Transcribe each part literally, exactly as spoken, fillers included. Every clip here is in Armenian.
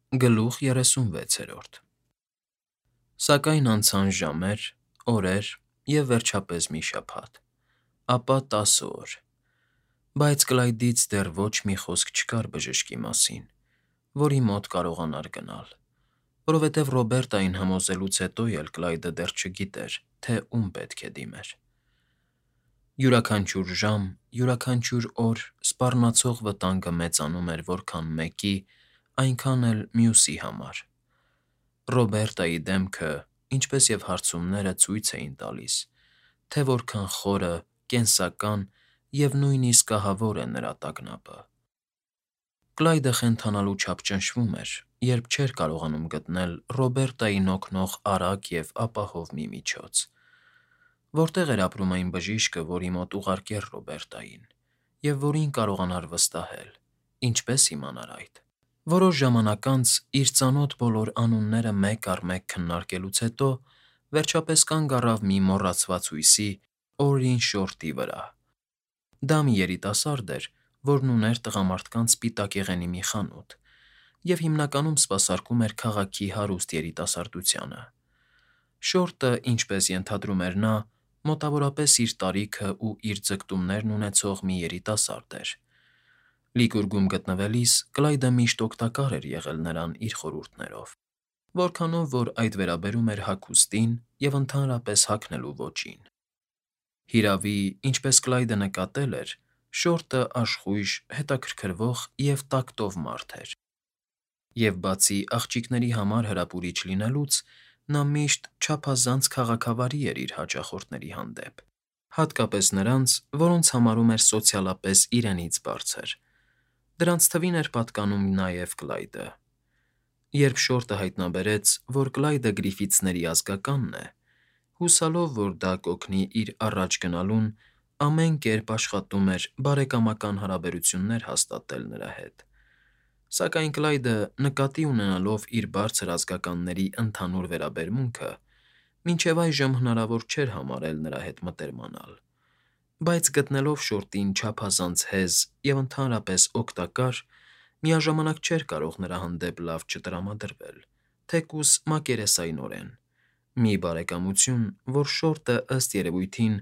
Գլուխ երեսունվեցերորդ Սակայն անցան ժամեր, օրեր և վերջապես մի շաբաթ, ապա տասը օր, բայց Կլայդից դեռ ոչ մի խոսք չկար բժշկի մասին, որի մոտ կարողանար գնալ, որովհետև Ռոբերտային համոզելուց հետո էլ Կլայդը դեռ չգիտեր, թե ում պետք է դիմեր։ Յուրաքանչյուր ժամ, յուրաքանչյուր օր սպառնացող վտանգը մեծանում էր որքան մեկի, այնքան էլ մյուսի համար։ Ռոբերտայի դեմքը, ինչպես և հարցումները ցույց էին տալիս, թե որքան խորը, կենսական և նույնիսկ ահավոր է նրա տագնապը։ Կլայդը խենթանալու չափ ճնշվում էր, երբ չէր կարողանում գտնել Ռոբերտային օգնող արագ և ապահով մի միջոց։ Որտե՞ղ էր ապրում այն բժիշկը, որի մոտ ուղարկեր Ռոբերտային, և որին կարողանար վստահել, ինչպե՞ս իմանար այդ։ Որոշ ժամանակ անց, իր ծանոթ բոլոր անունները մեկ առ մեկ քննարկելուց հետո, վերջապես կանգ առավ մի մոռացված հույսի՝ Օրին Շորտի վրա։ Դա մի երիտասարդ էր, որն ուներ տղամարդկանց սպիտակեղենի մի խանութ և հիմնականում սպասարկում էր քաղաքի հարուստ երիտասարդությանը։ Շորտը, ինչպես ենթադրում էր նա, մոտավորապես իր տարիքն ու իր ձգտումներն ունեցող մի երիտասարդ էր։ Լիկուրգում գտնվելիս Կլայդը միշտ օգտակար էր եղել նրան իր խորհուրդներով, որքանով որ այդ վերաբերում էր հագուստին և ընդհանրապես հագնելու ոճին։ Հիրավի, ինչպես Կլայդը նկատել էր, Շորտը աշխույժ, հետաքրքրվող և տակտով մարդ էր, և բացի աղջիկների համար հրապուրիչ լինելուց, նա միշտ չափազանց քաղաքավարի էր իր հաճախորդների հանդեպ, հատկապես նրանց, որոնց համարում էր սոցիալապես իրենից բարձր։ Դրանց թվին էր պատկանում նաև Կլայդը։ Երբ Շորտը հայտնաբերեց, որ Կլայդը Գրիֆիթսների ազգականն է, հուսալով, որ դա կօգնի իր առաջ գնալուն, ամեն կերպ աշխատում էր բարեկամական հարաբերություններ հաստատել նրա հետ։ Սակայն Կլայդը, նկատի ունենալով իր բարձր ազգականների ընդհանուր վերաբերմունքը, մինչև այժմ հնարավոր չէր համարել նրա հետ մտերմանալ, բայց գտնելով Շորտին չափազանց հեզ և ընդհանրապես օգտակար, միաժամանակ չէր կարող նրա հանդեպ լավ չտրամադրվել, թեկուզ մակերեսայնորեն, մի բարեկամություն, որ Շորտը, ըստ երևույթին,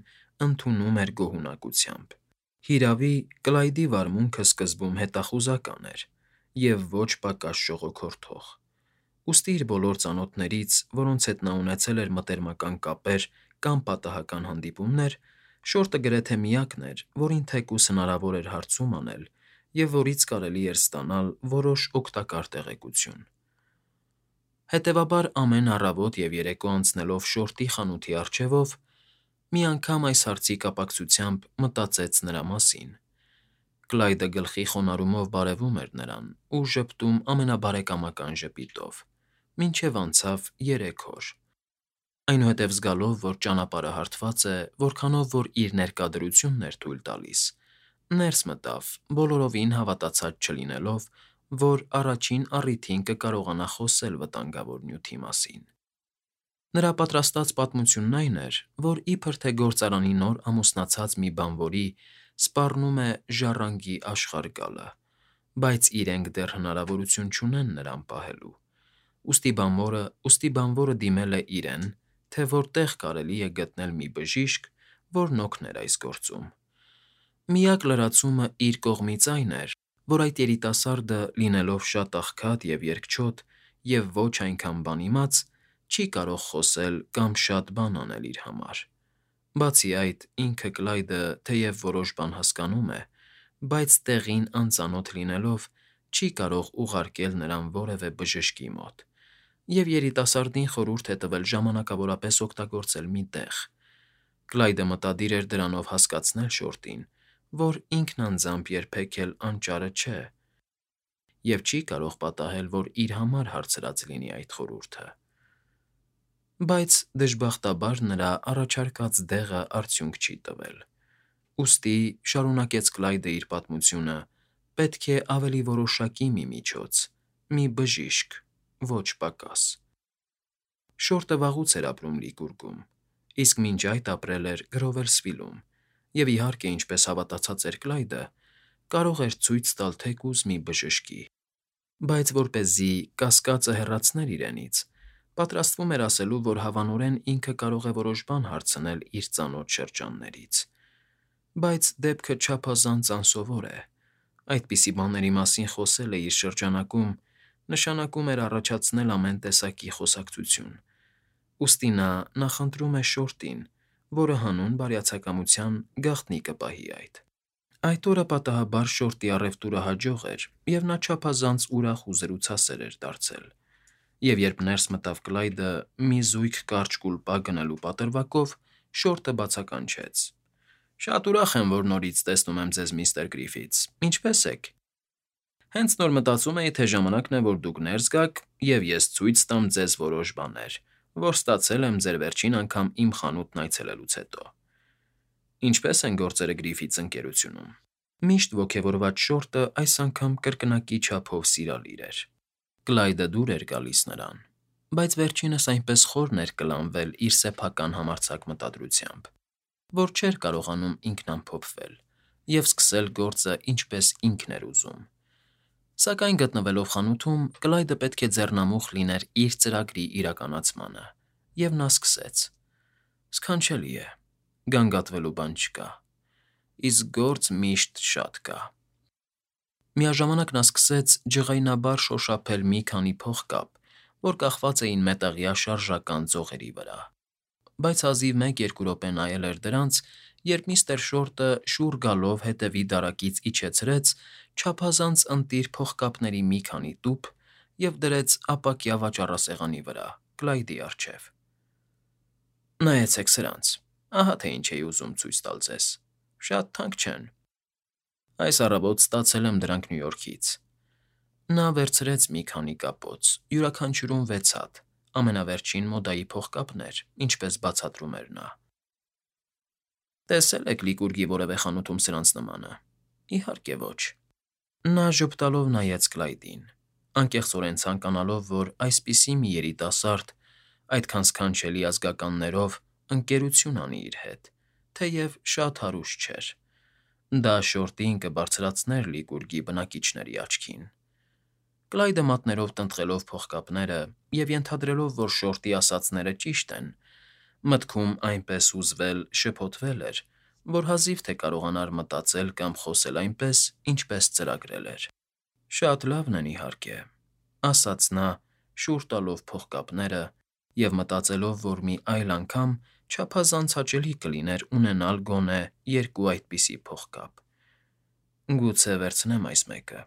ընդունում էր գոհունակությամբ։ Հիրավի, Կլայդի վարմունքը սկզբում հետախուզական էր և ոչ պակաս ժողոքորթող, ուստի իր բոլոր ծանոթներից, որոնց հետ նա ունեցել էր մտերմական կապեր կամ պատահական հանդիպումներ, Շորտը գրեթե միակն էր, որին թեկուզ հնարավոր էր հարցում անել և որից կարելի էր ստանալ որոշ օգտակար տեղեկություն։ Հետևաբար, ամեն առավոտ և երեկո անցնելով Շորտի խանութի առջևով, մի անգամ այս հարցի կապակցությամբ մտածեց նրա մասին։ Կլայդը գլխի խոնարհումով բարևում էր նրան ու ժպտում ամենաբարեկամական ժպիտով, մինչև անցավ երեք օր։ Այնուհետև զգալով, որ ճանապարհը հարթված է, որքանով որ իր ներկա դրությունն էր թույլ տալիս, ներս մտավ, բոլորովին հավատացած չլինելով, որ առաջին առիթին կկարողանա խոսել վտանգավոր նյութի մասին։ Նրա պատրաստած պատմությունն այն էր, որ իբր թե գործարանի նոր ամուսնացած մի բանվորի սպառնում է ժառանգի աշխարհ գալը, բայց իրենք դեռ հնարավորություն չունեն նրան պահելու, ուստի բանվորը դիմել է իրեն, թե որտեղ կարելի է գտնել մի բժիշկ, որն օգներ այս գործում։ Միակ լրացումը իր կողմից այն էր, որ այդ երիտասարդը, լինելով շատ աղքատ և երկչոտ և ոչ այնքան բան իմաց, չի կարող խոսել կամ շատ բան անել իր համար։ Բացի այդ, ինքը՝ Կլայդը, թեև որոշ բան հասկանում է, բայց տեղին անծանոթ լինելով, չի կարող ուղարկել նրան որևէ բժշկի մոտ, և երիտասարդին խորհուրդ է տվել ժամանակավորապես օգտագործել մի տեղ։ Կլայդը մտադիր էր դրանով հասկացնել Շորտին, որ ինքն անձամբ երբեք էլ անճարը չէ և չի կարող պատահել, որ իր համար հարցրած լինի այդ խորհուրդը։ Բայց, դժբախտաբար, նրա առաջարկած դեղը արդյունք չի տվել, ուստի, շարունակեց Կլայդը իր պատմությունը, պետք է ավելի որոշակի մի միջոց, մի բժիշկ, ոչ պակաս։ Շորտը վաղուց էր ապրում Լիկուրգում, իսկ մինչ այդ ապրել էր Գրովերսվիլում և, իհարկե, ինչպես հավատացած էր Կլայդը, կարող էր ցույց տալ թեկուզ մի բժշկի։ Բայց որպեսզի կասկածը հեռացներ իրենից, պատրաստվում էր ասելու, որ հավանորեն ինքը կարող է որոշ բան հարցնել իր ծանոթ շրջաններից։ Բայց դեպքը չափազանց անսովոր է։ Այդպիսի բաների մասին խոսելը իր շրջանակում նշանակում էր առաջացնել ամեն տեսակի խոսակցություն։ Ուստի նա նախընտրում է Շորտին, որը հանուն բարյացակամության գաղտնի կպահի այդ։ Այդ օրը պատահաբար Շորտի առևտուրը հաջող էր, և նա չափազանց ուրախ ու զրուցասեր էր դարձել, և երբ ներս մտավ Կլայդը մի զույգ կարճ կուլպա գնելու պատրվակով, Շորտը բացականչեց. «Շատ ուրախ եմ, որ նորից տեսնում եմ ձեզ, միստր Գրիֆիթս, ինչպե՞ս եք»։ Հենց նոր մտածում էի, թե ժամանակն է, որ դուք ներս գաք, և ես ցույց տամ ձեզ որոշ բաներ, որ ստացել եմ ձեր վերջին անգամ իմ խանութն այցելելուց հետո։ Ինչպե՞ս են գործերը Գրիֆիթս ընկերությունում։ Միշտ ոգևորված Շորտը այս անգամ կրկնակի չափով սիրալիր էր։ Կլայդը դուր էր գալիս նրան, բայց վերջինս այնպես խորն էր կլանվել իր սեփական համարձակ մտադրությամբ, որ չէր կարողանում ինքնամփոփվել և սկսել գործը ինչպես ինքն էր ուզում։ Սակայն գտնվելով խանութում, Կլայդը պետք է ձեռնամուխ լիներ իր ծրագրի իրականացմանը, և նա սկսեց. «Սքանչելի է, գանգատվելու բան չկա, իսկ գործ միշտ շատ կա»։ Միաժամանակ նա սկսեց ջղայնաբար շոշափել մի քանի փողկապ, որ կախված էին մետաղյա շարժական ձողերի վրա։ Բայց հազիվ մեկ֊երկու րոպե նայել էր դրանց, երբ միստր Շորտը շուռ գալով հետևի դարակից իջեցրեց չափազանց ընտիր փողկապների մի քանի տուփ և դրեց ապակյա վաճառասեղանի վրա, Կլայդի առջև։ «Նայեցեք սրանց, ահա թե ինչ էի ուզում ցույց տալ ձեզ, շատ թանկ չեն։ Այս առավոտ ստացել եմ դրանք Նյու Յորքից»։ Նա վերցրեց մի քանի կապոց, յուրաքանչյուրում վեց հատ, ամենավերջին մոդայի փողկապներ, ինչպես բացատրում էր նա։ «Տեսե՞լ եք Լիկուրգի որևէ խանութում սրանց նմանը։ Իհարկե ոչ»։ Նա ժպտալով նայեց Կլայդին, անկեղծորեն ցանկանալով, որ այսպիսի մի երիտասարդ այդքան սքանչելի ազգականներով ընկերություն անի իր հետ, թեև շատ հարուստ չէր։ Դա Շորտին կբարձրացներ Լիկուրգի բնակիչների աչքին։ Կլայդը մատներով տնտղելով փողկապները և ենթադրելով, որ Շորտի ասածները ճիշտ են, մտքում այնպես հուզվել, շփոթվել էր, որ հազիվ թե կարողանար մտածել կամ խոսել այնպես, ինչպես ծրագրել էր։ «Շատ լավն են, իհարկե», ասաց նա՝ շուռ տալով փողկապները և մտածելով, որ մի այլ անգամ չափազանց հաճելի կլիներ ունենալ գոնե երկու այդպիսի փողկապ։ «Գուցե վերցնեմ այս մեկը։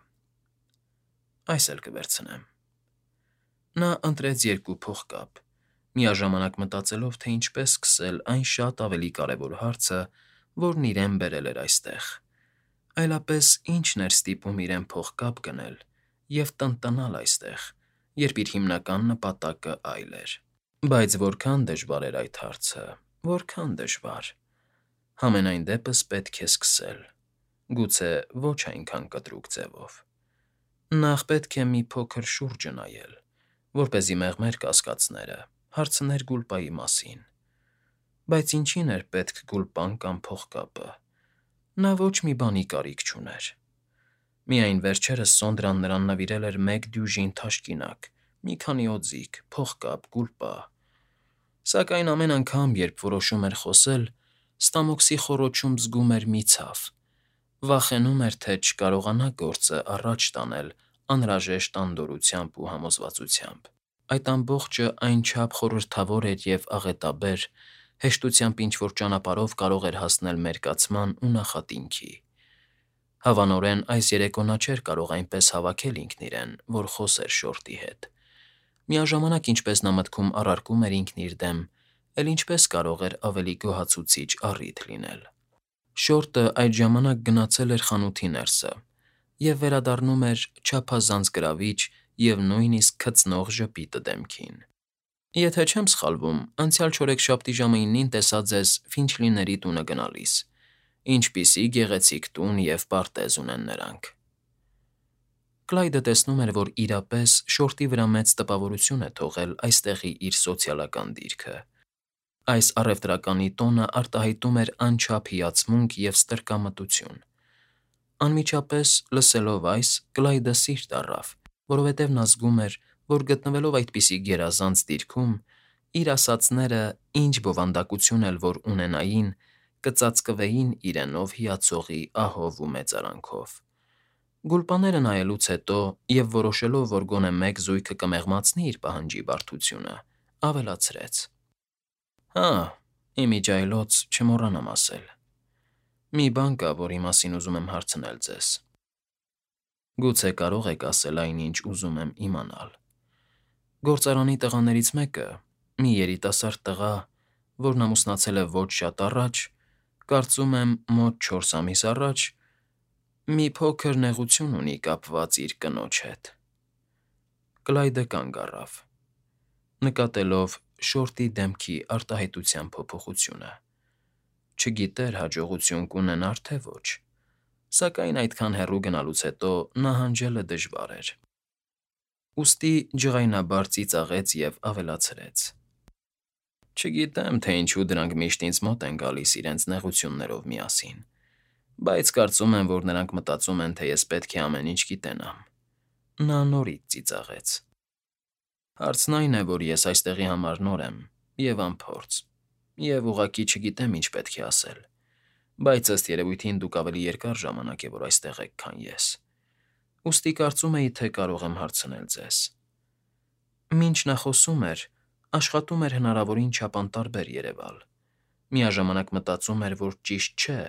Այս էլ կվերցնեմ»։ Նա ընտրեց երկու փողկապ, միաժամանակ մտածելով, թե ինչպես սկսել այն շատ ավելի կարևոր հարցը, որն իրեն բերել էր այստեղ, այլապես ի՞նչն էր ստիպում իրեն փողկապ գնել և տնտնալ այստեղ, երբ իր հիմնական նպատակը այլ էր։ Բայց որքան դժվար էր այդ հարցը, որքան դժվար։ Համենայն դեպս պետք է սկսել, գուցե ոչ այնքան կտրուկ ձևով։ Նախ պետք է մի փոքր շուրջը նայել, որպեսզի մեղմեր կասկածները, հարցներ Գուլպայի մասին։ Բայց ինչի՞ն էր պետք Գուլպան կամ փողկապը։ Նա ոչ մի բանի կարիք չուներ։ Միայն վերջերս Սոնդրան նրան նվիրել էր մեկ դյուժին թաշկինակ, մի քանի օձիք, փողկապ, Գուլպա։ Սակայն ամեն անգամ, երբ որոշում էր խոսել, ստամոքսի խոռոչում զգում էր մի ցավ, վախենում էր, թե չկարողանա գործը առաջ տանել անհրաժեշտ անդորրությամբ ու համոզվածությամբ։ Այդ ամբողջը այնչափ խորհրդավոր էր և աղետաբեր, հեշտությամբ ինչ֊որ ճանապարհով կարող էր հասնել մերկացման ու նախատինքի։ Հավանորեն այս երեկո նա չէր կարող այնպես հավաքել ինքն իրեն, որ խոսեր Շորտի հետ։ Միաժամանակ, ինչպես նա մտքում առարկում էր ինքն իր դեմ, էլ ինչպես կարող էր ավելի գոհացուցիչ առիթ լինել։ Շորտը այդ ժամանակ գնացել էր խանութի ներսը և վերադառնում էր չափազանց գրավիչ և նույնիսկ քծնող ժպիտը դեմքին։ «Եթե չեմ սխալվում, անցյալ չորեքշաբթի ժամը իննին տեսա ձեզ Ֆինչլիների տունը գնալիս։ Ինչպիսի գեղեցիկ տուն և պարտեզ ունեն նրանք»։ Կլայդը տեսնում էր, որ իրապես Շորտի վրա մեծ տպավորություն է թողել այստեղի իր սոցիալական դիրքը։ Այս առևտրականի տոնը արտահայտում էր անչափ հիացմունք և ստրկամտություն։ Անմիջապես լսելով այս, Կլայդը սիրտ առավ, որովհետև նա զգում էր, որ գտնվելով այդպիսի գերազանց դիրքում, իր ասացները, ինչ բովանդակություն էլ որ ունենային, կծածկվեին իրենով հիացողի ահով ու մեծարանքով։ Գուլպաները նայելուց հետո և որոշելով, որ գոնե մեկ զույգը կմեղմացնի իր պահանջի բարդությունը, ավելացրեց. «Հա, իմիջիայլոց չմոռանամ ասել. մի բան կա, որի մասին ուզում եմ հարցնել ձեզ։ Գուցե կարող եք ասել այն, ինչ ուզում եմ իմանալ։ Գործարանի տղաներից մեկը, մի երիտասարդ տղա, որն ամուսնացել է ոչ շատ առաջ, կարծում եմ մոտ չորս ամիս առաջ, մի փոքր նեղություն ունի կապված իր կնոջ հետ»։ Կլայդը կանգ առավ, նկատելով շորտի դեմքի արտահայտության փոփոխությունը։ Չգիտեր հաջողություն կունենար, թե ոչ, սակայն այդքան հեռու գնալուց հետո նահանջելը դժվար էր։ Ուստի ջղայնաբար ծիծաղեց և ավելացրեց. «Չգիտեմ, թե ինչու դրանք միշտ ինձ մոտ են գալիս իրենց նեղություններով միասին, բայց կարծում եմ, որ նրանք մտածում են, թե ես պետք է ամեն ինչ գիտենամ»։ Նա նորից ծիծաղեց։ «Հարցն այն է, որ ես այստեղի համար նոր եմ և անփորձ, և ուղղակի չգիտեմ ինչ պետք է ասել, բայց ըստ երևույթին դուք ավելի երկար ժամանակ է, որ այստեղ եք, քան ես, ուստի կարծում էի, թե կարող եմ հարցնել ձեզ։ Մինչ նա խոսում էր, աշխատում էր հնարավորին չափ անտարբեր երևալ, միաժամանակ մտածում էր, որ ճիշտ չէ,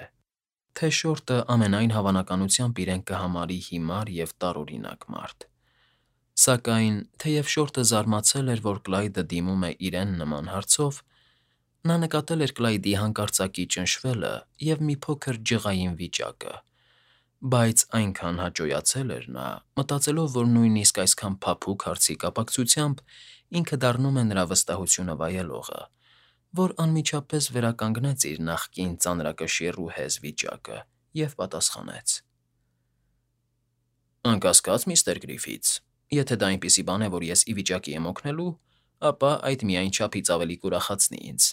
թե շորտը ամենայն հավանականությամբ իրեն կհամարի հիմար և տարօրինակ մարդ։ Սակայն, թեև շորտը զարմացել էր, որ Կլայդը դիմում է իրեն նման հարցով, նա նկատել էր Կլայդի հանկարծակի ճնշվելը և մի փոքր ջղային վիճակը, բայց այնքան հաճոյացել էր նա, մտածելով, որ նույնիսկ այսքան փափուկ հարցի կապակցությամբ ինքը դառնում է նրա վստահությունը վայելողը, որ անմիջապես վերականգնեց իր նախկին ծանրակշիռ ու հեզ վիճակը և պատասխանեց. «Անկասկած, միստր Գրիֆիթս, եթե դա այնպիսի բան է, որ ես ի վիճակի եմ օգնելու, ապա այդ միայն չափից ավելի կուրախացնի ինձ։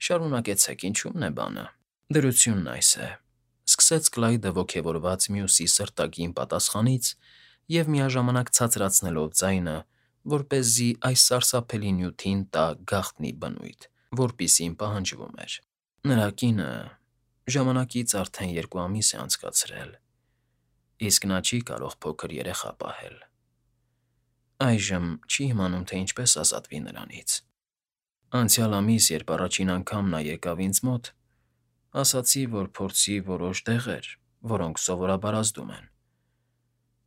Շարունակեցեք, ինչու՞մն է բանը»։ Դրությունն այս է,֊ սկսեց Կլայդը ոգևորված մյուսի սրտագին պատասխանից և միաժամանակ ցածրացնելով ձայնը, որպեսզի այս սարսափելի նյութին տա գաղտնի բնույթ, որպիսին պահանջվում էր։ Նրա կինը ժամանակից արդեն երկու ամիս է անցկացրել, իսկ նա չի կարող փոքր երեխա պահել։ Այժմ չի իմանում, թե ինչպես ազատվի նրանից։ Անցյալ ամիս, երբ առաջին անգամ նա եկավ ինձ մոտ, ասացի, որ փորձի որոշ դեղեր, որոնք սովորաբար ազդում են։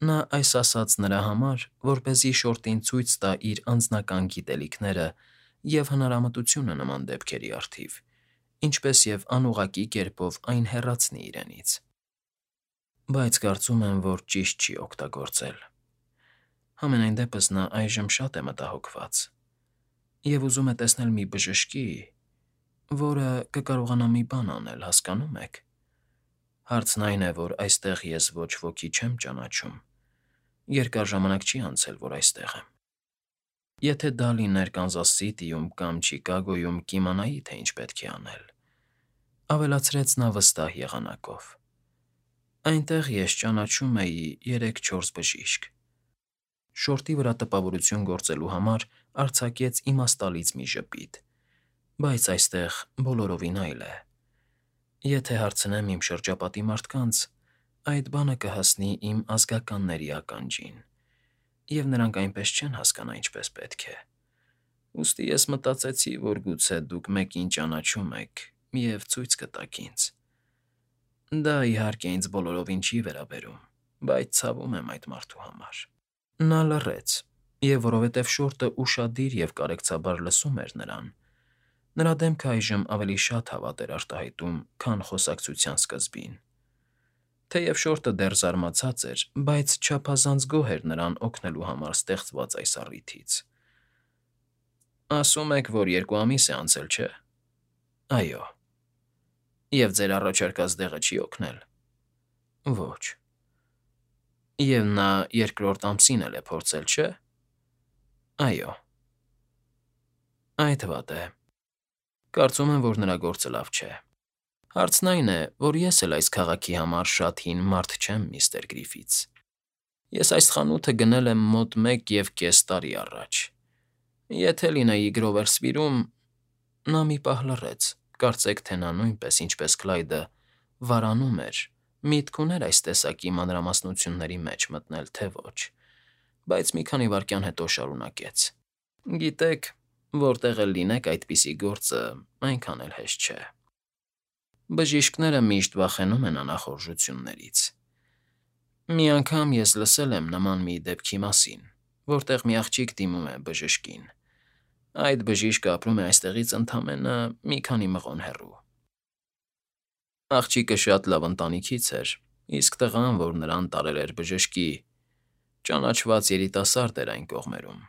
Նա այս ասաց նրա համար, որպեսզի շորտին ցույց տա իր անձնական գիտելիքները և հնարամտությունը նման դեպքերի առթիվ, ինչպես և անուղղակի կերպով այն հեռացնի իրենից։ Բայց կարծում եմ, որ ճիշտ չի օգտագործել։ Համենայն դեպս նա այժմ շատ է մտահոգված և ուզում է տեսնել մի բժշկի, որը կկարողանա մի բան անել, հասկանո՞ւմ եք։ Հարցն այն է, որ այստեղ ես ոչ ոքի չեմ ճանաչում, երկար ժամանակ չի անցել, որ այստեղ եմ։ Եթե դա լիներ Կանզաս Սիթիում կամ Չիկագոյում, կիմանայի, թե ինչ պետք է անել,֊ ավելացրեց նա վստահ եղանակով։ Այնտեղ ես ճանաչում էի երեք֊չորս բժիշկ։ Շորտի վրա տպավորություն գործելու համար արձակեց իմաստալից մի ժպիտ, բայց այստեղ բոլորովին այլ է։ Եթե հարցնեմ իմ շրջապատի մարդկանց, այդ բանը կհասնի իմ ազգականների ականջին, և նրանք այնպես չեն հասկանա ինչպես պետք է։ Ուստի ես մտածեցի, որ գուցե դուք մեկին ճանաչում եք և ցույց կտաք ինձ։ Դա, իհարկե, ինձ բոլորովին չի վերաբերում, բայց ցավում եմ այդ մարդու համար։ Նա լռեց, և որովհետև շորտը ուշադիր և կարեկցաբար լսում էր նրան, նրա դեմքը այժմ ավելի շատ հավատ էր արտահայտում, քան խոսակցության սկզբին։ Թեև շորտը դեռ զարմացած էր, բայց չափազանց գոհ էր նրան օգնելու համար ստեղծված այս առիթից։ Ասում եք, որ երկու ամիս է անցել, չէ՞։ Այո։ Եվ ձեր առաջարկած դեղը չի օգնել։ Ոչ։ Եվ նա երկրորդ ամսին էլ է փորձել, չէ՞։ Այո։ Այդ վատ է։ Կարծում եմ, որ նրա գործը լավ չէ։ Հարցն այն է, որ ես էլ այս քաղաքի համար շատ հին մարդ չեմ, միստր Գրիֆիթս, Ես այս խանութը գնել եմ մոտ մեկ և կես տարի առաջ։ Եթե լինեի Գրովերսվիլում… Նա մի պահ լռեց, կարծեք թե նա նույնպես, ինչպես Կլայդը, վարանում էր, միտք ուներ այս տեսակի մանրամասնությունների մեջ մտնել, թե ոչ, բայց մի քանի վայրկյան հետո շարունակեց. «Գիտեք, որտեղ էլ լինեք, այդպիսի գործը այնքան էլ հեշտ չէ։ Բժիշկները միշտ վախենում են անախորժություններից։ Մի անգամ ես լսել եմ նման մի դեպքի մասին, որտեղ մի աղջիկ դիմում է բժշկին։ Այդ բժիշկը ապրում է այստեղից ընդամենը մի քանի մղոն հեռու։ Աղջիկը շատ լավ ընտանիքից էր, իսկ տղան, որ նրան տարել էր բժշկի, ճանաչված երիտասարդ էր այն կողմերում։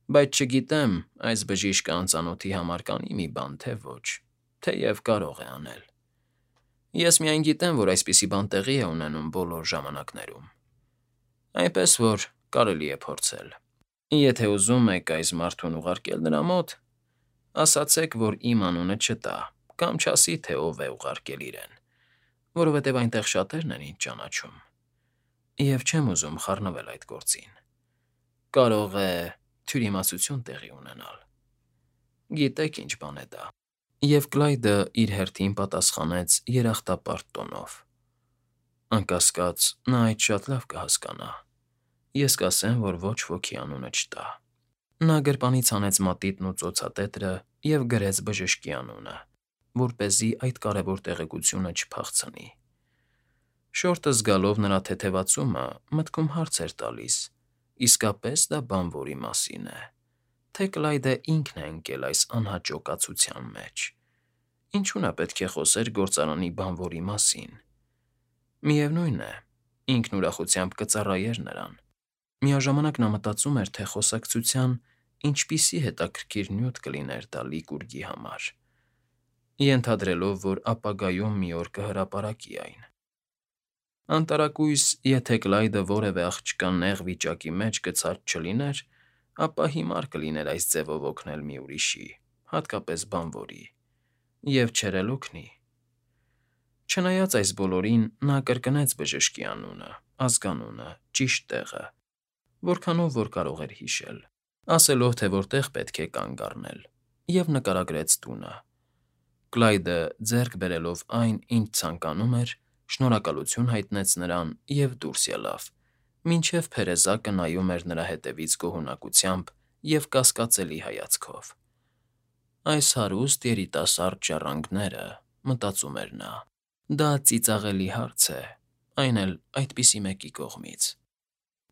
Բայց չգիտեմ, այս բժիշկը անծանոթի համար կանի մի բան, թե ոչ, թեև կարող է անել։ Ես միայն գիտեմ, որ այսպիսի բան տեղի է ունենում բոլոր ժամանակներում։ Այնպես որ կարելի է փորձել։ Եթե ուզում եք այս մարդուն ուղարկել նրա մոտ, ասացեք, որ իմ անունը չտա կամ չասի, թե ով է ուղարկել իրեն, որովհետև այնտեղ շատերն են ինձ ճանաչում, և չեմ ուզում խառնվել այդ գործին։ Կարող է թյուրիմացություն տեղի ունենալ։ Գիտեք ինչ բան է դա»։ Եվ Կլայդը իր հերթին պատասխանեց երախտապարտ տոնով. «Անկասկած, նա այդ շատ լավ կհասկանա։ Ես կասեմ, որ ոչ ոքի անունը չտա»։ Նա գրպանից հանեց մատիտն ու ծոցատետրը և գրեց բժշկի անունը, որպեսզի այդ կարևոր տեղեկությունը չփախցնի։ Շորտը զգալով նրա թեթևացումը, մտքում հարց էր տալիս. իսկապես դա բանվորի մասին է, թե Կլայդը ինքն է ընկել այս անհաճո կացության մեջ։ Ինչու նա պետք է խոսեր գործարանի բանվորի մասին։ Միևնույն է, ինքն ուրախությամբ կծառայեր նրան։ Միաժամանակ նա մտածում էր, թե խոսակցության ինչպիսի հետաքրքիր նյութ կլիներ դա Լիկուրգի համար, ենթադրելով, որ ապագայում մի օր կհրապարակի այն։ Անտարակույս, եթե Կլայդը որևէ աղջկա նեղ վիճակի մեջ գցած չլիներ, ապա հիմար կլիներ այս ձևով օգնել մի ուրիշի, հատկապես բանվորի, և չէր էլ օգնի։ Չնայած այս բոլորին, նա կրկնեց բժշկի անունը, ազգանունը, ճիշտ տեղը, որքանով որ կարող էր հիշել, ասելով, թե որտեղ պետք է կանգ առնել, և նկարագրեց տունը։ Կլայդը, ձեռք բերելով այն, ինչ ցանկանում էր, շնորհակալություն հայտնեց նրան և դուրս ելավ, մինչև փերեզակը նայում էր նրա հետևից գոհունակությամբ և կասկածելի հայացքով։ «Այս հարուստ երիտասարդ ժառանգները», մտածում էր նա, «դա ծիծաղելի հարց է, այն էլ այդպիսի մեկի կողմից։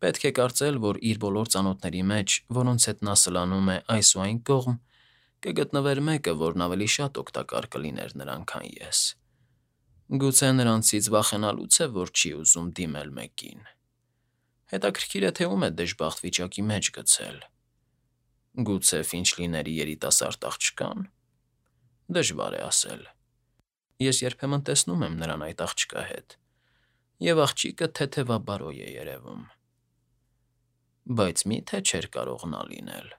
Պետք է կարծել, որ իր բոլոր ծանոթների մեջ, որոնց հետ նա սլանում է այս ու այն կողմ, կգտնվեր մեկը, որն ավելի շատ օգտակար կլիներ նրան, քան ես։ Գուցե նրանցից վախենալու՞ց է, որ չի ուզում դիմել մեկին։ Հետաքրքիր է, թե ում է դժբախտ վիճակի մեջ գցել։ Գուցե Ֆինչլիների երիտասարդ աղջկա՞ն։ Դժվար է ասել։ Ես երբեմն տեսնում եմ նրան այդ աղջկա հետ, և աղջիկը թեթևաբարոյ է երևում։ Բայց մի՞թե չէր կարող նա լինել։